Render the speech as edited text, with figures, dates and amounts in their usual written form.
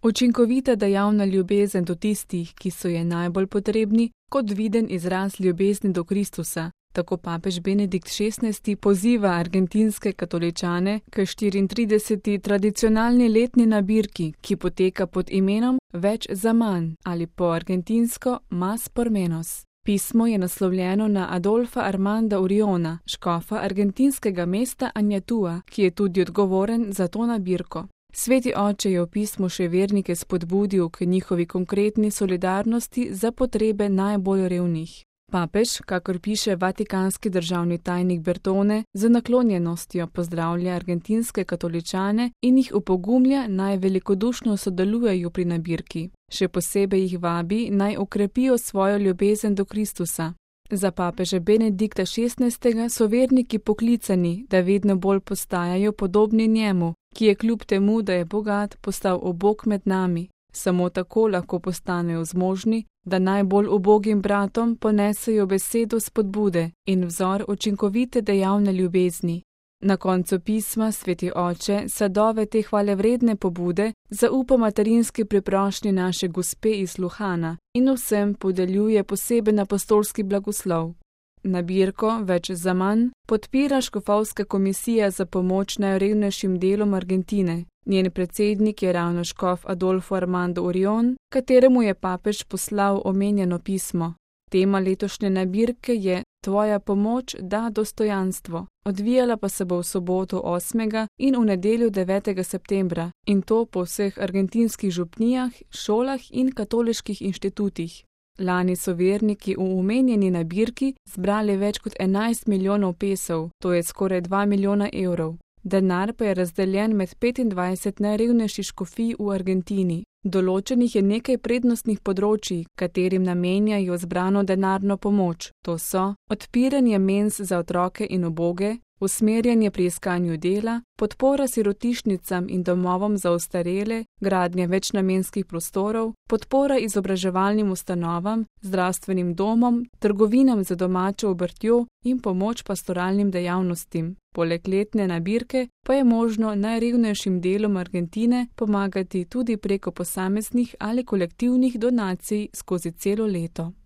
Učinkovita dejavna ljubezen do tistih, ki so je najbolj potrebni, kot viden izraz ljubezni do Kristusa. Tako papež Benedikt XVI poziva argentinske katoličane k 34. tradicionalni letni nabirki, ki poteka pod imenom Več za manj ali po argentinsko Más por menos. Pismo je naslovljeno na Adolfa Armanda Uriona, škofa argentinskega mesta Añatua, ki je tudi odgovoren za to nabirko. Sveti oče je v pismu še vernike spodbudil k njihovi konkretni solidarnosti za potrebe najbolj revnih. Papež, kakor piše vatikanski državni tajnik Bertone, z naklonjenostjo pozdravlja argentinske katoličane in jih opogumlja, naj velikodušno sodelujejo pri nabirki. Še posebej jih vabi, naj okrepijo svojo ljubezen do Kristusa. Za papeža Benedikta XVI so verniki poklicani, da vedno bolj postajajo podobni njemu, ki je kljub temu, da je bogat, postal ubog med nami. Samo tako lahko postanejo zmožni, da najbolj ubogim bratom ponesejo besedo spodbude in vzor učinkovite dejavne ljubezni. Na koncu pisma sveti oče sadove te hvalevredne pobude zaupa materinski priprošnji naše gospe iz Luhana in vsem podeljuje poseben apostolski blagoslov. Nabirko Več za manj podpira škofovska komisija za pomoč najrevnejšim delom Argentine. Njen predsednik je ravno škof Adolfo Armando Urion, kateremu je papež poslal omenjeno pismo. Tema letošnje nabirke je Tvoja pomoč da dostojanstvo. Odvijala pa se bo v soboto 8. in v nedeljo 9. septembra, in to po vseh argentinskih župnijah, šolah in katoliških inštitutih. Lani so verniki v omenjeni nabirki zbrali več kot 11 milijonov pesov, to je skoraj 2 milijona evrov. Denar pa je razdeljen med 25 najrevnejših škofij v Argentini. Določenih je nekaj prednostnih področij, katerim namenjajo zbrano denarno pomoč. To so odpiranje menz za otroke in uboge, usmerjanje pri iskanju dela, podpora sirotišnicam in domovom za ostarele, gradnja večnamenskih prostorov, podpora izobraževalnim ustanovam, zdravstvenim domom, trgovinam za domačo obrtjo in pomoč pastoralnim dejavnostim. Poleg letne nabirke pa je možno najrevnejšim delom Argentine pomagati tudi preko posameznih ali kolektivnih donacij skozi celo leto.